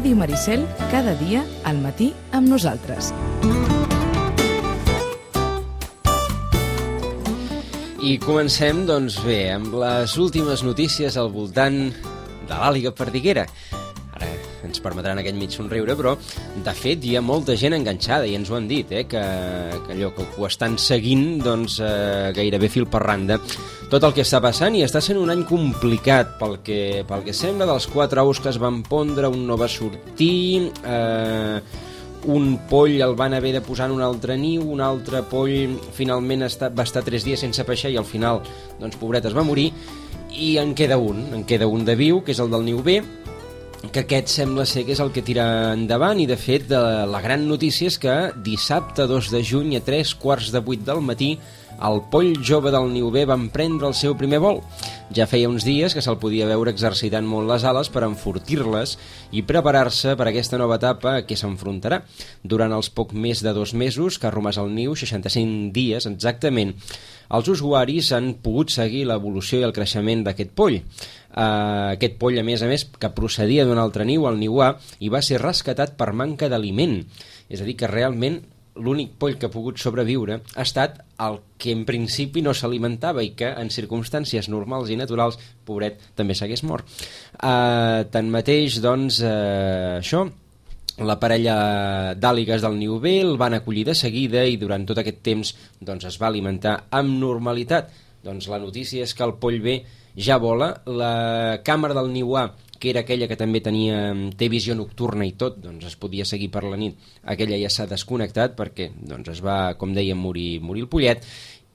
Ràdio Maricel, cada dia al matí amb nosaltres. I comencem, doncs bé, amb les últimes notícies al voltant de l'àliga perdiguera. Ara ens permetran aquell mig somriure, però de fet hi ha molta gent enganxada i ens ho han dit, que allò que ho estan seguint doncs, gairebé fil per randa tot el que està passant, i està sent un any complicat pel que sembla. Dels 4 ous que es van pondre, un no va sortir, un poll el van haver de posar en un altre niu, un altre poll finalment va estar 3 dies sense peixar i al final, doncs, pobret, es va morir, i en queda un de viu, que és el del niu B, que aquest sembla ser que és el que tira endavant. I de fet la gran notícia és que dissabte 2 de juny a 3:15 del matí el poll jove del niu B va emprendre el seu primer vol. Ja feia uns dies que se'l podia veure exercitant molt les ales per enfortir-les i preparar-se per aquesta nova etapa a què s'enfrontarà. Durant els poc més de 2 mesos que ha romàs el niu, 65 dies exactament, els usuaris han pogut seguir l'evolució i el creixement d'aquest poll. Aquest poll, a més, que procedia d'un altre niu, el niu A, i va ser rescatat per manca d'aliment. És a dir, que realment l'únic poll que ha pogut sobreviure ha estat el que en principi no s'alimentava i que en circumstàncies normals i naturals, pobret, també s'hagués mort. Tanmateix, doncs, això, la parella d'àligues del niu B el van acollir de seguida i durant tot aquest temps doncs, es va alimentar amb normalitat. Doncs la notícia és que el poll B ja vola. La càmera del niu A, que era aquella que també té visió nocturna i tot, doncs es podia seguir per la nit, aquella ja s'ha desconnectat perquè doncs, es va, com dèiem, morir el pollet.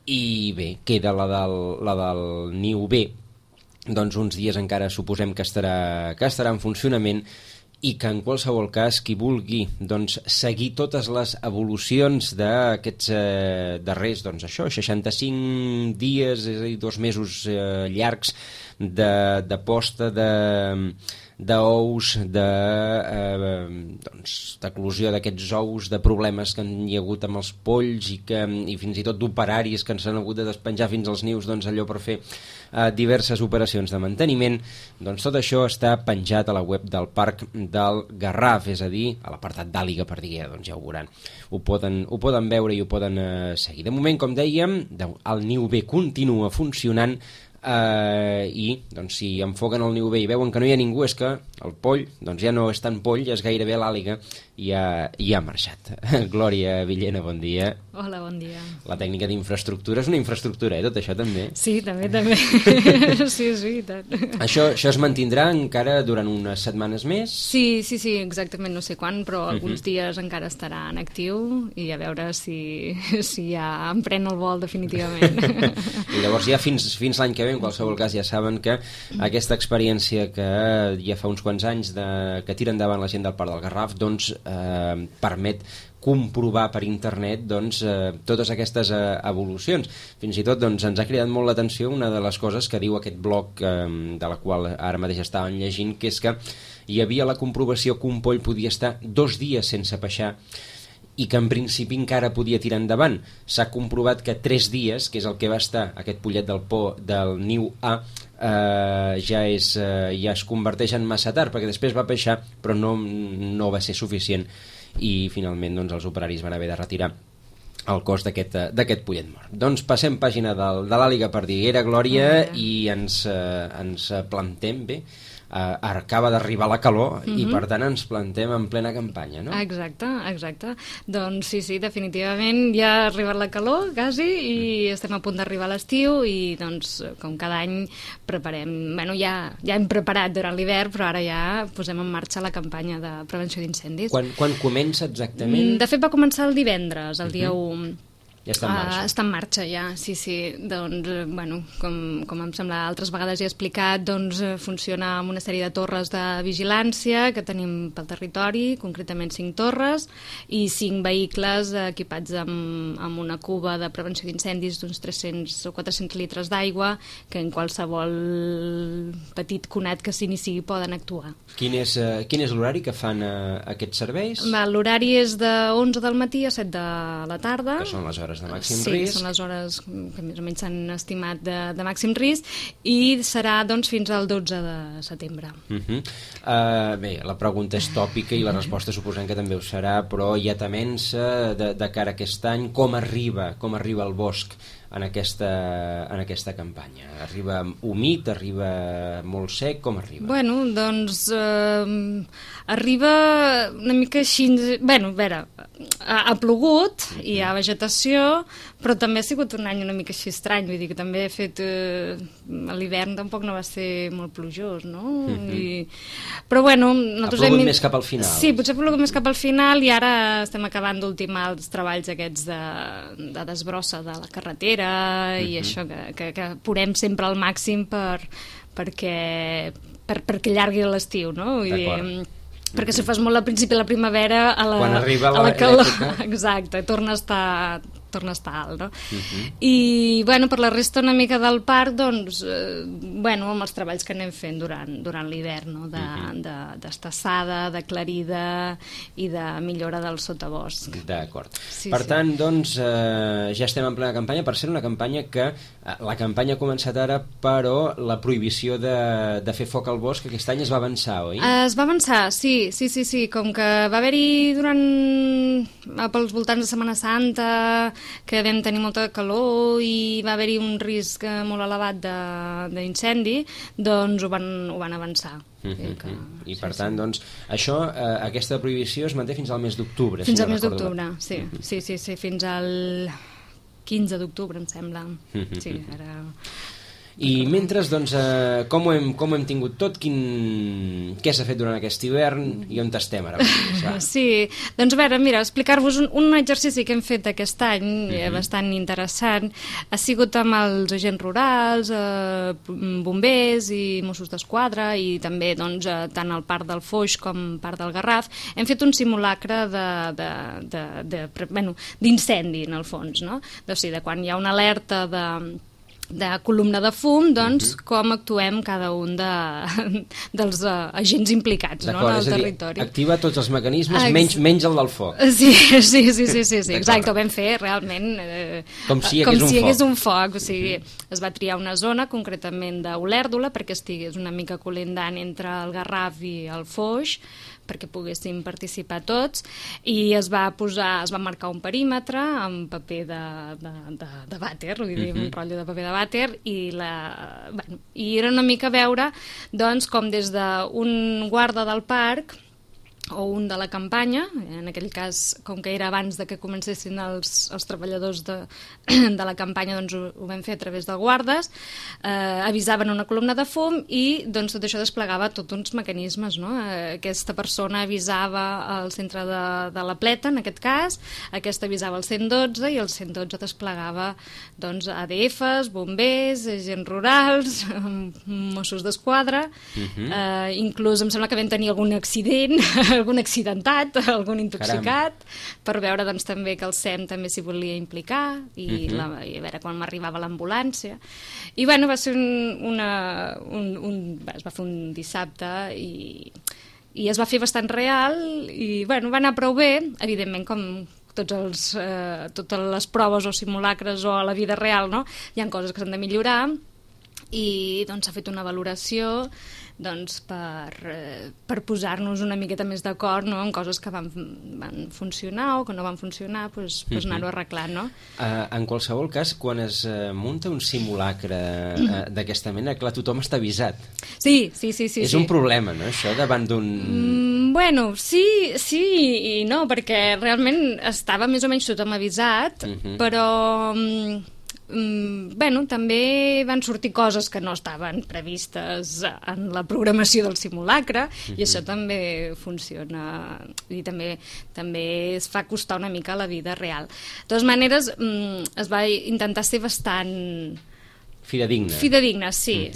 I bé, queda la del niu B, doncs uns dies encara suposem que estarà en funcionament, i que en qualsevol cas qui vulgui doncs, seguir totes les evolucions d'aquests darrers, doncs això, 65 dies, és a dir, 2 mesos llargs de posta d'ous, d'eclosió d'aquests ous, de problemes que hi ha hagut amb els polls i fins i tot d'operaris que ens han hagut de despenjar fins als nius, doncs allò per fer diverses operacions de manteniment. Doncs tot això està penjat a la web del Parc del Garraf, és a dir, a l'apartat d'àliga perdiguera, doncs ja ho veuran. Ho poden veure i ho poden seguir. De moment, com dèiem, el niu B continua funcionant, i doncs, si enfoquen el niu B i veuen que no hi ha ningú, és que el poll doncs, ja no és tan poll, és gairebé l'àliga i ha marxat. Glòria Villena, bon dia. Hola, bon dia. La tècnica d'infraestructura és una infraestructura, tot això també? Sí, també. Sí, i tant. Això es mantindrà encara durant unes setmanes més? Sí, exactament, no sé quan, però alguns dies encara estarà en actiu i a veure si ja emprèn el vol definitivament. I llavors ja fins l'any que ve, en qualsevol cas, ja saben que aquesta experiència que ja fa uns quants anys que tira endavant la gent del Parc del Garraf doncs permet comprovar per internet doncs, totes aquestes evolucions. Fins i tot doncs, ens ha cridat molt l'atenció una de les coses que diu aquest blog de la qual ara mateix estàvem llegint, que és que hi havia la comprovació que un poll podia estar 2 dies sense peixar i que en principi encara podia tirar endavant. S'ha comprovat que 3 dies, que és el que va estar aquest pollet del niu A, ja es converteix en massa tard, perquè després va peixar però no va ser suficient i finalment doncs, els operaris van haver de retirar el cos d'aquest pollet mort. Doncs passem pàgina de l'àliga perdiguera, Glòria, i ens plantem bé. Acaba d'arribar la calor i per tant ens plantem en plena campanya, no? Exacte. Doncs sí, definitivament ja ha arribat la calor quasi i estem a punt d'arribar a l'estiu i doncs com cada any preparem, ja hem preparat durant l'hivern, però ara ja posem en marxa la campanya de prevenció d'incendis. Quan comença exactament? De fet va començar el divendres, el dia 1. Ja està en marxa. Està en marxa ja, sí. Doncs, com em sembla altres vegades ja he explicat, doncs funciona amb una sèrie de torres de vigilància que tenim pel territori, concretament 5 torres i 5 vehicles equipats amb una cuba de prevenció d'incendis d'uns 300 o 400 litres d'aigua que en qualsevol petit conat que s'iniciï poden actuar. Quin és l'horari que fan aquests serveis? L'horari és de 11 del matí a 7 de la tarda. Que són les hores hores de màxim risc. risc. Sí, són les hores que més o menys s'han estimat de màxim risc, i serà doncs fins al 12 de setembre. Bé, la pregunta és tòpica i la resposta suposem que també ho serà, però hi ha temença de cara a aquest any. Com arriba el bosc en aquesta campanya? Arriba humit, arriba molt sec, com arriba? Bueno, doncs arriba una mica així... Bueno, a veure, ha plogut, hi ha vegetació, però també ha sigut un any una mica així estrany, vull dir que també he fet... l'hivern tampoc no va ser molt plujós, no? Però bueno... Ha plogut més cap al final. Sí, potser ha plogut més cap al final, i ara estem acabant d'ultimar els treballs aquests de desbrossa de la carretera i això, que apurem sempre al màxim perquè allargui l'estiu, no? Vull dir, perquè si fas molt al principi de la primavera, quan arriba la calor, l'època... Exacte, torna a estar alt, no? I, bueno, per la resta una mica del parc, doncs, bueno, amb els treballs que anem fent durant l'hivern, no? D'estassada, d'aclarida i de millora del sotabosc. D'acord. Per tant, doncs, ja estem en plena campanya, per ser una campanya que la campanya ha començat ara, però la prohibició de fer foc al bosc aquest any es va avançar, oi? Es va avançar, sí, com que va haver-hi pels voltants de Setmana Santa, que vam tenir molta calor i va haver-hi un risc molt elevat d'incendi, doncs ho van avançar. I per tant, doncs, això, aquesta prohibició es manté fins al mes d'octubre. Fins al mes d'octubre, sí, fins al 15 d'octubre, em sembla. Sí, ara... I mentre, doncs, com ho hem tingut tot? Què s'ha fet durant aquest hivern i on estem ara? Sí, doncs a veure, mira, explicar-vos un exercici que hem fet aquest any, bastant interessant, ha sigut amb els agents rurals, bombers i Mossos d'Esquadra, i també doncs, tant al Parc del Foix com Parc del Garraf. Hem fet un simulacre d'incendi, en el fons, no? O sigui, de quan hi ha una alerta de columna de fum, doncs, com actuem cada un dels agents implicats, no, en el territori. Activa tots els mecanismes, menys el del foc. Sí, exacte, ho vam fer realment com si hi hagués un foc. O sigui, es va triar una zona, concretament d'Olèrdola, perquè estigués una mica col·lindant entre el Garraf i el Foix, perquè poguéssim participar tots, i es va marcar un perímetre amb paper de vàter, vull dir, un rotllo de paper de vàter, i era una mica veure, doncs, com des d'un guarda del parc o un de la campanya, en aquell cas, com que era abans de que comencessin els treballadors de la campanya, doncs ho vam fer a través de guardes, avisaven una columna de fum i doncs tot això desplegava tots uns mecanismes, no? Aquesta persona avisava al centre de la pleta, en aquest cas, aquesta avisava el 112 i el 112 desplegava doncs ADFs, bombers, agents rurals, Mossos d'Esquadra, inclús em sembla que vam tenir algun accident, algun accidentat, algun intoxicat, per veure doncs, també que el SEM també s'hi volia implicar i a veure quan m'arribava l'ambulància. I bueno, va ser es va fer un dissabte i es va fer bastant real i bueno, va anar prou bé, evidentment com totes les proves o simulacres o a la vida real, no? Hi ha coses que s'han de millorar i doncs s'ha fet una valoració doncs, per posar-nos una miqueta més d'acord, no? En coses que van funcionar o que no van funcionar, doncs anar-ho arreglant, no? En qualsevol cas, quan es munta un simulacre d'aquesta mena, clar, tothom està avisat. Sí. És un problema, no?, això, davant d'un... Bueno, sí i no, perquè realment estava més o menys tothom avisat, però... Bueno, també van sortir coses que no estaven previstes en la programació del simulacre i això també funciona i també es fa costar una mica a la vida real. De totes maneres, es va intentar ser bastant... Fidedigna, sí.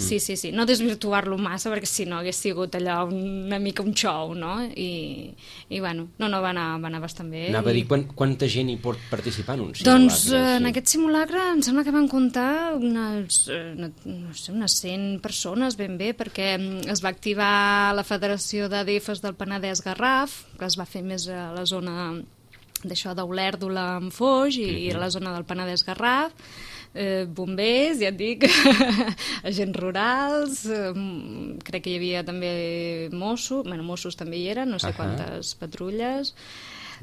No desvirtuar-lo massa, perquè si no hagués sigut allò una mica un show, no? I bueno, no, va anar bastant bé. Anava a dir, quanta gent hi pot participar en un simulacre? Doncs en aquest simulacre em sembla que van comptar unes 100 persones ben bé, perquè es va activar la Federació d'ADFs del Penedès Garraf, que es va fer més a la zona d'això d'Olèrdola amb Foix i a la zona del Penedès-Garraf, bombers, ja et dic, agents rurals, crec que hi havia també Mossos també hi eren, no sé quantes patrulles.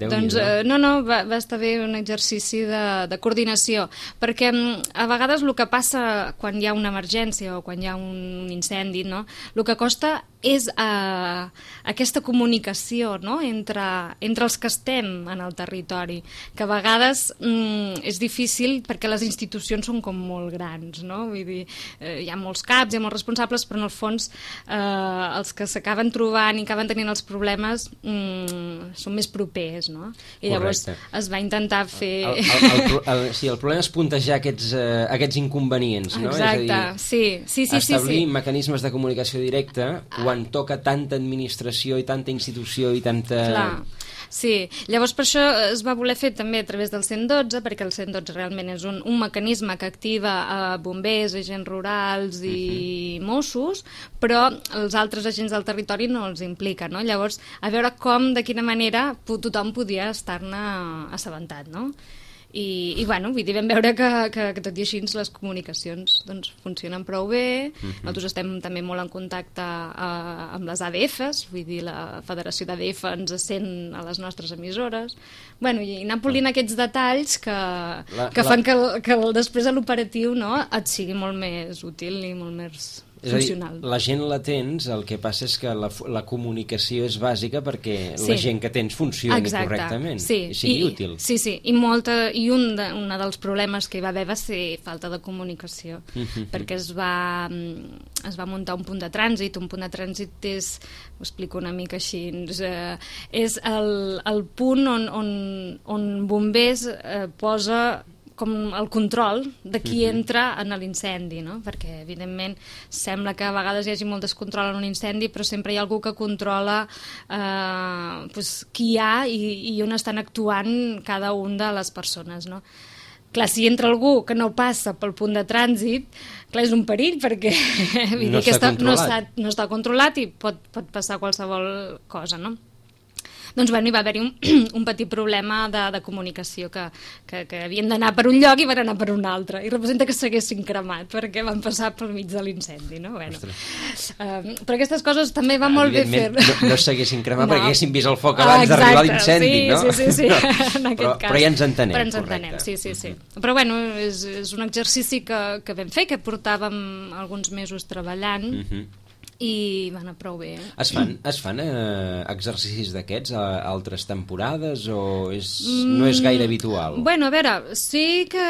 Doncs va estar bé un exercici de coordinació, perquè a vegades el que passa quan hi ha una emergència o quan hi ha un incendi, no? El que costa és aquesta comunicació, no? entre els que estem en el territori, que a vegades és difícil perquè les institucions són com molt grans, no? Vull dir, hi ha molts caps, hi ha molts responsables, però en el fons els que s'acaben trobant i acaben tenint els problemes són més propers, no? I llavors es va intentar fer... Sí, el problema és puntejar aquests inconvenients, no? Exacte, sí. Establir mecanismes de comunicació directa quan toca tanta administració i tanta institució i tanta... Clar. Sí, llavors per això es va voler fer també a través del 112, perquè el 112 realment és un mecanisme que activa bombers, agents rurals i Mossos, però els altres agents del territori no els implica, no? Llavors, a veure com, de quina manera tothom podia estar-ne assabentat, no? I bueno, vull dir, vam veure que tot i així les comunicacions doncs, funcionen prou bé. Nosaltres estem també molt en contacte amb les ADFs, vull dir, la Federació d'ADF ens sent a les nostres emissores. Bueno, i anar polint aquests detalls que fan que després a l'operatiu, no, et sigui molt més útil i molt més funcional. És a dir, la gent la tens, el que passa és que la comunicació és bàsica perquè la gent que tens funcioni correctament i sigui útil. Sí, i un dels problemes que hi va haver va ser falta de comunicació, perquè es va muntar un punt de trànsit. Un punt de trànsit és, ho explico una mica així, és el punt on bombers posa com el control de qui entra en l'incendi, no? Perquè evidentment sembla que a vegades hi hagi molt descontrol en un incendi, però sempre hi ha algú que controla qui hi ha i on estan actuant cada una de les persones, no? Clar, si entra algú que no passa pel punt de trànsit, clar, és un perill, perquè no està controlat i pot passar qualsevol cosa, no? Doncs bueno, hi va haver-hi un petit problema de comunicació, que havien d'anar per un lloc i van anar per un altre, i representa que s'haguessin cremat perquè van passar pel mig de l'incendi, no? Bueno, però aquestes coses també va molt bé fer. No s'haguessin cremat perquè haguessin vist el foc abans d'arribar a l'incendi, no? Sí, en aquest cas. Però ja ens entenem. Però ens entenem, sí. Però bueno, és un exercici que vam fer, que portàvem alguns mesos treballant, i va anar prou bé. Es fan exercicis d'aquests a altres temporades o no és gaire habitual? Bueno, a veure, sí que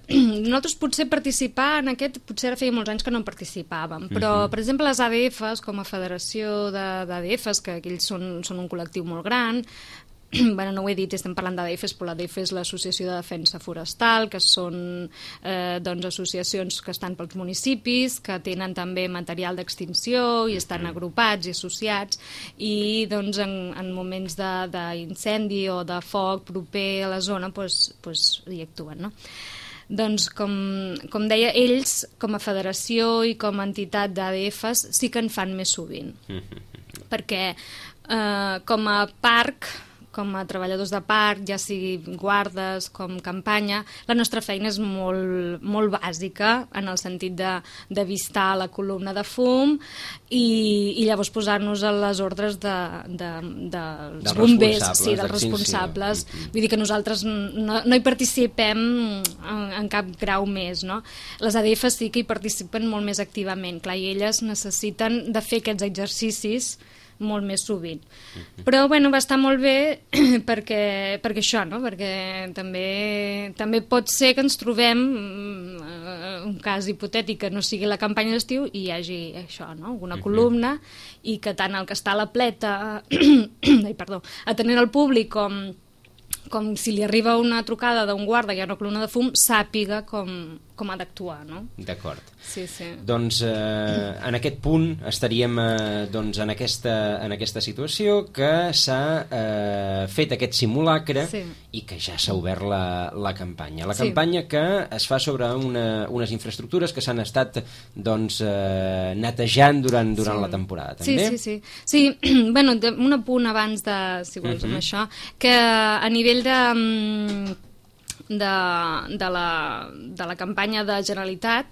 nosaltres potser participar en aquest, potser ara feia molts anys que no en participàvem, però per exemple les ADFs, com a federació d'ADFs, que ells són un col·lectiu molt gran, bueno, no ho he dit, estem parlant d'ADFs, però l'ADF és l'Associació de Defensa Forestal, que són associacions que estan pels municipis, que tenen també material d'extinció i estan agrupats i associats, i doncs en moments d'incendi o de foc proper a la zona hi actuen, no? Doncs, com deia, ells, com a federació i com a entitat d'ADFs, sí que en fan més sovint. Perquè com a parc, com a treballadors de parc, ja sigui guardes, com campanya, la nostra feina és molt, molt bàsica, en el sentit d'avistar la columna de fum i llavors posar-nos a les ordres dels bombers, dels responsables. Vull dir que nosaltres no hi participem en cap grau més, no? Les ADFs sí que hi participen molt més activament, clar, i elles necessiten de fer aquests exercicis molt més sovint. Però bueno, va estar molt bé perquè això, no? Perquè també pot ser que ens trobem un cas hipotètic que no sigui la campanya d'estiu i hi hagi això, no? Alguna columna, i que tant el que està a la pleta atenent el públic com si li arriba una trucada d'un guarda i hi ha una columna de fum, sàpiga com com ha d'actuar, no? D'acord. Sí, sí. Doncs en aquest punt estaríem doncs, en aquesta situació que s'ha fet aquest simulacre i que ja s'ha obert la campanya. La campanya que es fa sobre unes infraestructures que s'han estat doncs, netejant durant la temporada, també? Sí, bueno, un apunt abans de, si vols, amb això, que a nivell de la campanya de Generalitat,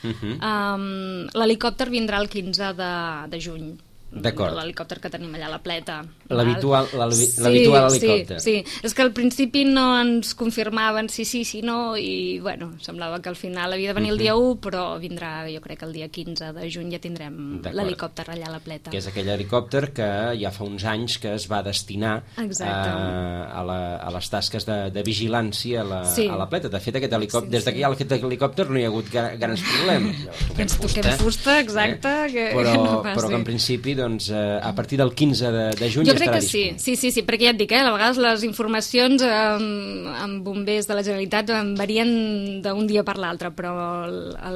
l'helicòpter vindrà el 15 de juny. L'helicòpter que tenim allà a la Pleta. L'habitual helicòpter. Sí, és que al principi no ens confirmaven si sí, si no, i bueno, semblava que al final havia de venir el dia 1, però vindrà, jo crec que el dia 15 de juny ja tindrem l'helicòpter allà a la Pleta. Que és aquell helicòpter que ja fa uns anys que es va destinar a les tasques de vigilància a la Pleta. De fet, aquest helicòpter, des que hi ha aquest helicòpter no hi ha hagut grans problemes. Ens toquem fusta, exacte. Però que en principi doncs, a partir del 15 de juny jo ja crec estarà que disponible. Sí, perquè ja et dic, a vegades les informacions amb bombers de la Generalitat varien d'un dia per l'altre, però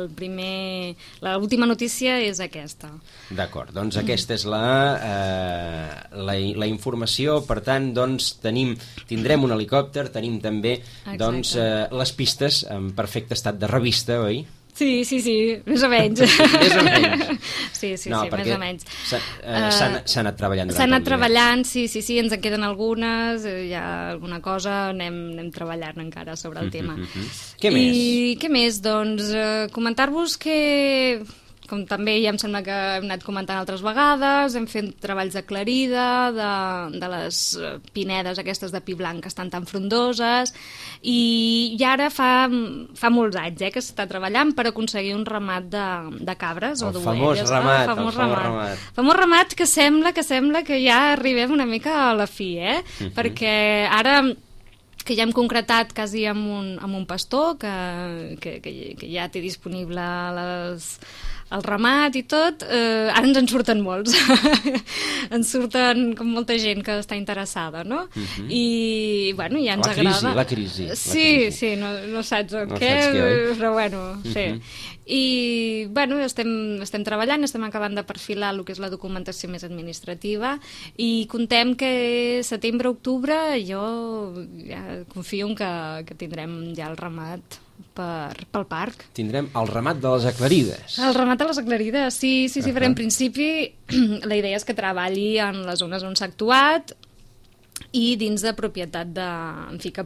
l'última notícia és aquesta. D'acord, doncs aquesta és la informació, per tant, doncs, tindrem un helicòpter, tenim també doncs, les pistes en perfecte estat de revista, oi? Sí, més o menys. Més o menys. Sí, més o menys. S'ha anat treballant. S'ha anat treballant, sí, ens en queden algunes, hi ha alguna cosa, anem treballant encara sobre el tema. Què més? I què més? Doncs comentar-vos que, com també ja em sembla que hem anat comentant altres vegades, hem fet treballs d'aclarida de les pinedes aquestes de pi blanc que estan tan frondoses, i ara fa molts anys que s'està treballant per aconseguir un ramat de cabres o d'ovelles. El famós ramat que sembla que ja arribem una mica a la fi, perquè ara que ja hem concretat quasi amb un pastor que ja té disponible el ramat i tot, ara ens en surten molts. Ens surten com molta gent que està interessada, no? I, bueno, ja ens agrada. La crisi. Sí, no saps què, però bueno, sí. I, bueno, estem treballant, estem acabant de perfilar el que és la documentació més administrativa i contem que setembre-octubre jo ja confio que tindrem ja el ramat pel parc. Tindrem el ramat de les aclarides. El ramat de les aclarides, sí, però en principi la idea és que treballi en les zones on s'ha actuat i dins de propietat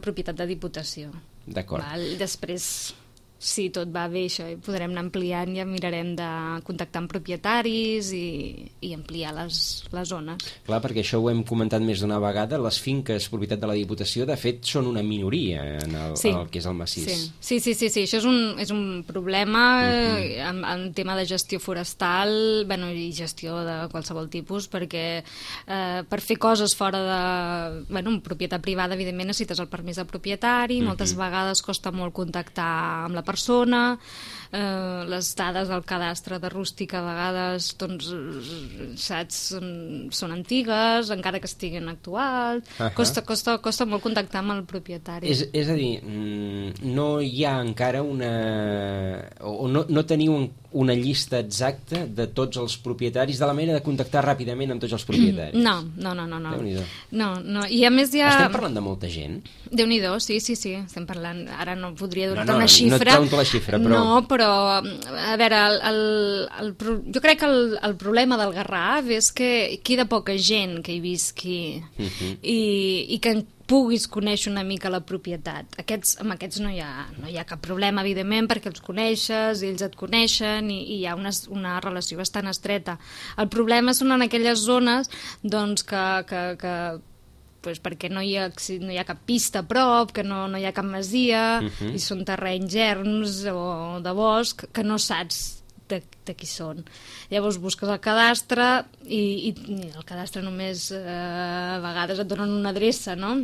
propietat de Diputació. D'acord. Després, si tot va bé, això podrem anar ampliant, ja mirarem de contactar amb propietaris i ampliar les zones. Clar, perquè això ho hem comentat més d'una vegada, les finques propietat de la Diputació, de fet, són una minoria en el que és el massís. Sí, això és un problema en tema de gestió forestal, i gestió de qualsevol tipus, perquè per fer coses fora de propietat privada, evidentment necessites el permís del propietari, moltes vegades costa molt contactar amb la persona, les dades del cadastre de rústic a vegades són antigues, encara que estiguin actuals, costa molt contactar amb el propietari. És a dir, no hi ha encara no teniu una llista exacta de tots els propietaris, de la manera de contactar ràpidament amb tots els propietaris? No. Déu-n'hi-do. I a més Estem parlant de molta gent? Déu-n'hi-do, sí, estem parlant, ara no podria donar una xifra. No et pregunto la xifra, però... No, però, a veure, jo crec que el problema del Garraf és que queda poca gent que hi visqui i que puguis conèixer una mica la propietat. Amb aquests no hi ha cap problema, evidentment, perquè els coneixes, ells et coneixen i hi ha una relació bastant estreta. El problema són en aquelles zones doncs, que perquè no hi ha cap pista a prop, que no hi ha cap masia, i són terrenys erms o de bosc que no saps de qui són. Llavors busques el cadastre i el cadastre només a vegades et donen una adreça, no?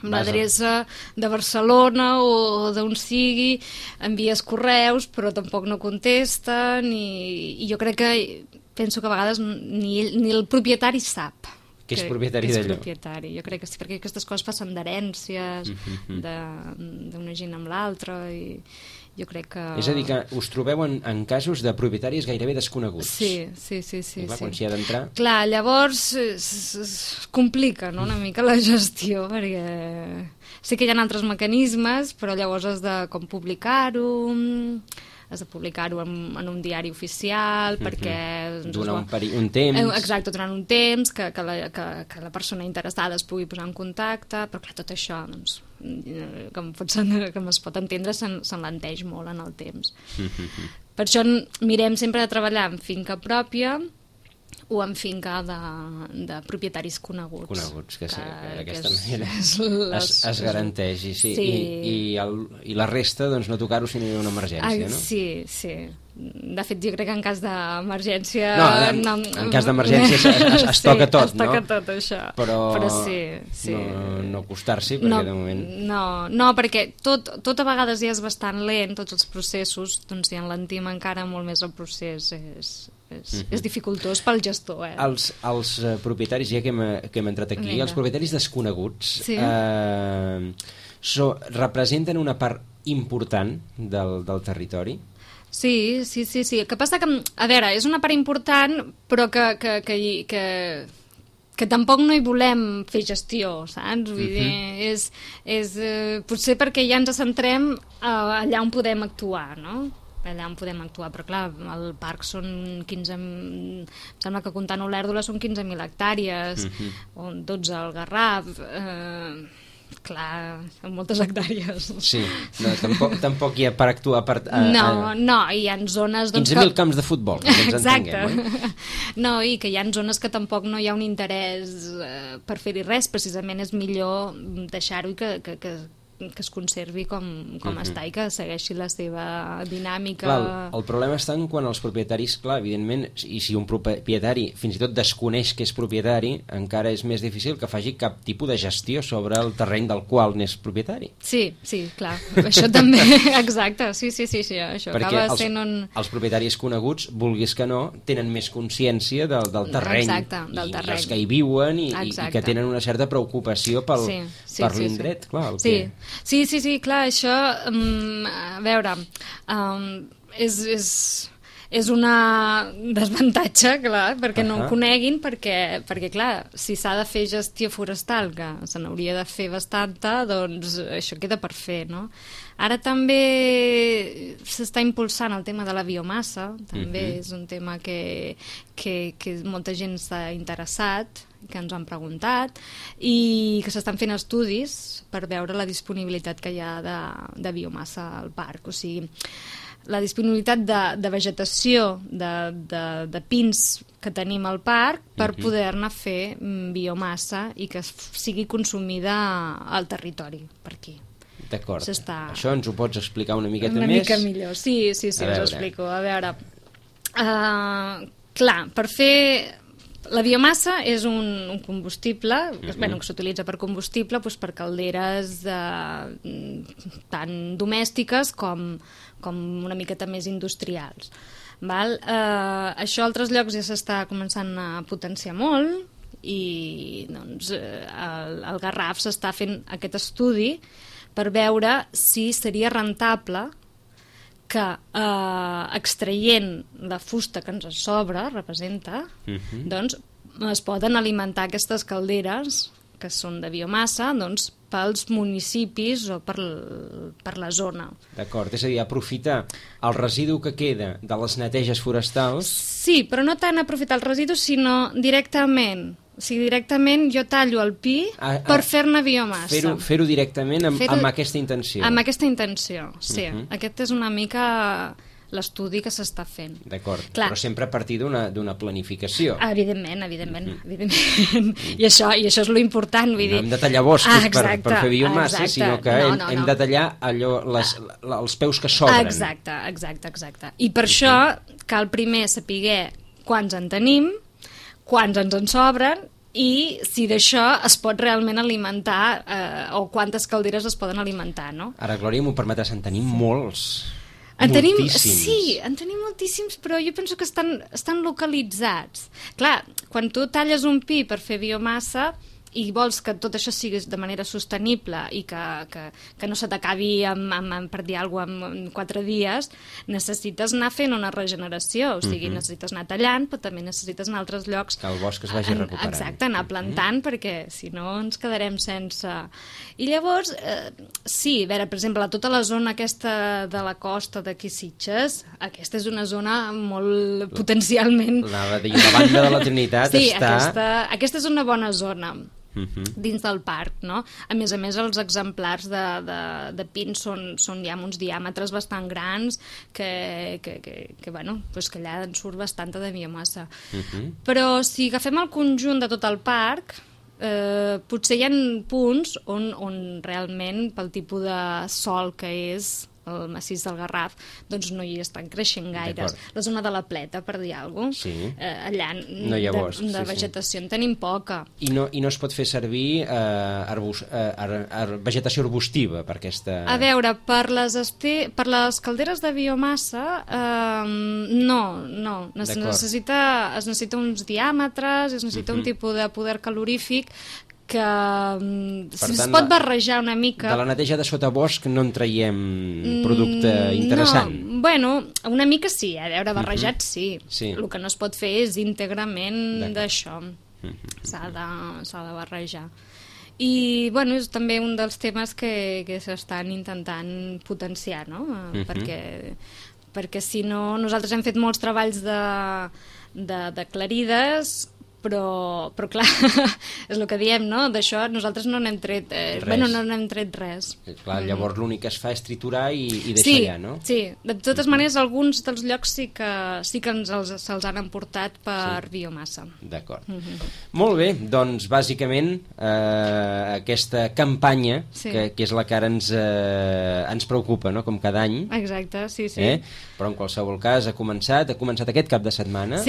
Una adreça de Barcelona o d'on sigui, envies correus però tampoc no contesten i jo crec que penso que a vegades ni el propietari sap que és propietari d'allò. Jo crec que sí, perquè aquestes coses passen d'herències, d'una gent amb l'altra, i jo crec que... És a dir, que us trobeu en casos de propietaris gairebé desconeguts. Sí. I clar, quan s'hi ha d'entrar... Clar, llavors es complica, no?, una mica la gestió, perquè sí que hi ha altres mecanismes, però llavors has de com publicar-ho en un diari oficial, perquè... Donar un temps... Exacte, durant un temps, que la persona interessada es pugui posar en contacte, però clar, tot això, doncs, com es pot entendre, s'enlenteix molt en el temps. Per això mirem sempre de treballar en finca pròpia o en finca de propietaris coneguts. Que d'aquesta manera es garanteix. I la resta, doncs, no tocar-ho si no hi ha una emergència, no? Sí. De fet, jo crec que en cas d'emergència... En cas d'emergència es toca tot, no? Es toca tot, això. Però sí. No acostar-s'hi, perquè de moment... No, perquè tot a vegades ja és bastant lent, tots els processos, doncs si enlentim encara molt més el procés, és dificultós pel gestor. Els propietaris, ja que hem entrat aquí, els propietaris desconeguts representen una part important del territori? Sí. El que passa que, a veure, és una part important, però que tampoc no hi volem fer gestió, saps? Vull dir, és potser perquè ja ens centrem allà on podem actuar, no? Allà on podem actuar, però clar, el parc són 15... Em sembla que comptant Olèrdola són 15.000 hectàrees, o 12 al Garraf... Clar, són moltes hectàrees. Sí, tampoc hi ha per actuar... No, hi ha zones... 15.000 camps de futbol, que ens entenguem, oi? No, i que hi ha zones que tampoc no hi ha un interès per fer-hi res, precisament és millor deixar-ho i que es conservi com està i que segueixi la seva dinàmica. Clar, el problema està en quan els propietaris, clar, evidentment, i si un propietari fins i tot desconeix que és propietari, encara és més difícil que faci cap tipus de gestió sobre el terreny del qual n'és propietari. Sí, clar. Això també, exacte, sí, això perquè acaba sent els propietaris coneguts, vulguis que no, tenen més consciència del terreny. Exacte, del terreny. I els que hi viuen i que tenen una certa preocupació per l'indret, clar. Sí, clar, això, a veure, és una desavantatge, clar, perquè no ho coneguin, perquè, clar, si s'ha de fer gestió forestal, que se n'hauria de fer bastanta, doncs això queda per fer, no? Ara també s'està impulsant el tema de la biomassa, també és un tema que molta gent s'ha interessat, que ens han preguntat, i que s'estan fent estudis per veure la disponibilitat que hi ha de biomassa al parc. O sigui, la disponibilitat de vegetació, de pins que tenim al parc per poder-ne fer biomassa i que sigui consumida al territori, per aquí. D'acord. Això ens ho pots explicar una miqueta més? Una mica millor, sí, us ho explico. A veure, clar, per fer... La biomassa és un combustible, que s'utilitza per combustible, per calderes tant domèstiques com una miqueta més industrials. Això a altres llocs ja s'està començant a potenciar molt i doncs, al Garraf s'està fent aquest estudi per veure si seria rentable que extraient la fusta que ens sobra, representa, doncs es poden alimentar aquestes calderes que són de biomassa, doncs pels municipis o per la zona. D'acord, és a dir, aprofitar el residu que queda de les neteges forestals... Sí, però no tant aprofitar el residu, sinó directament. O sigui, directament jo tallo el pi per fer-ne biomassa. Fer-ho directament amb aquesta intenció. Amb aquesta intenció, sí. Aquest és una mica l'estudi que s'està fent. D'acord, però sempre a partir d'una planificació. Evidentment. I això és lo important. Vull dir... No hem de tallar boscos per fer biomassa, sinó que hem de tallar els peus que sobren. Exacte. I per això cal primer saber quants en tenim, quants ens en sobren i si d'això es pot realment alimentar o quantes calderes es poden alimentar, no? Ara, Glòria, m'ho permetràs, en tenim molts. moltíssims. Sí, en tenim moltíssims, però jo penso que estan localitzats. Clar, quan tu talles un pi per fer biomassa i vols que tot això sigui de manera sostenible i que no se t'acabi per dir alguna cosa en 4 dies, necessites anar fent una regeneració, o sigui, necessites anar tallant, però també necessites anar a altres llocs. Que el bosc es vagi recuperant. Exacte, anar plantant, perquè si no ens quedarem sense... I llavors, sí, a veure, per exemple, tota la zona aquesta de la costa d'aquí Sitges, aquesta és una zona molt potencialment... La banda de la Trinitat sí, està... aquesta és una bona zona dins del parc, no? A més, els exemplars de pins són ja amb uns diàmetres bastant grans que bueno, pues que allà en surt bastanta de biomassa. Però si agafem el conjunt de tot el parc, potser hi ha punts on realment, pel tipus de sòl que és el massís del Garraf, doncs no hi estan creixent gaires. La zona de la Pleta, per dir alguna cosa, allà de vegetació en tenim poca. I no es pot fer servir vegetació arbustiva per aquesta... A veure, per les calderes de biomassa, no. Es necessita uns diàmetres, es necessita un tipus de poder calorífic que es pot barrejar una mica. De la neteja de sotabosc no en traiem producte interessant? No, bueno, una mica sí, a veure, barrejat sí. El que no es pot fer és íntegrament d'això. S'ha de barrejar. I, bueno, és també un dels temes que s'estan intentant potenciar, no? Perquè si no, nosaltres hem fet molts treballs de clarides, però clar, és el que diem, no? D'això nosaltres no n'hem tret res. Clar, llavors l'únic que es fa és triturar i deixar allà, no? Sí, de totes maneres alguns dels llocs sí que se'ls han emportat per biomassa. D'acord. Molt bé, doncs bàsicament aquesta campanya, que és la que ara ens preocupa, no? Com cada any. Exacte, sí. Però en qualsevol cas ha començat aquest cap de setmana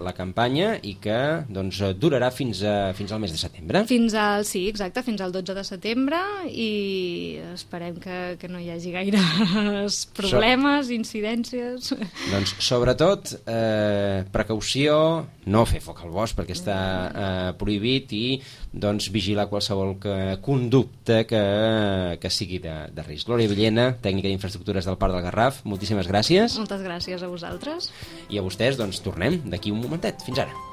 la campanya i que doncs, durarà fins al mes de setembre. Fins al 12 de setembre i esperem que no hi hagi gaires problemes, incidències. Doncs sobretot precaució, no fer foc al bosc perquè està prohibit i doncs vigilar qualsevol conducta que sigui de risc. Glòria Villena, tècnica d'infraestructures del Parc del Garraf, moltíssimes gràcies. Moltes gràcies a vosaltres. I a vostès, doncs tornem d'aquí un momentet. Fins ara.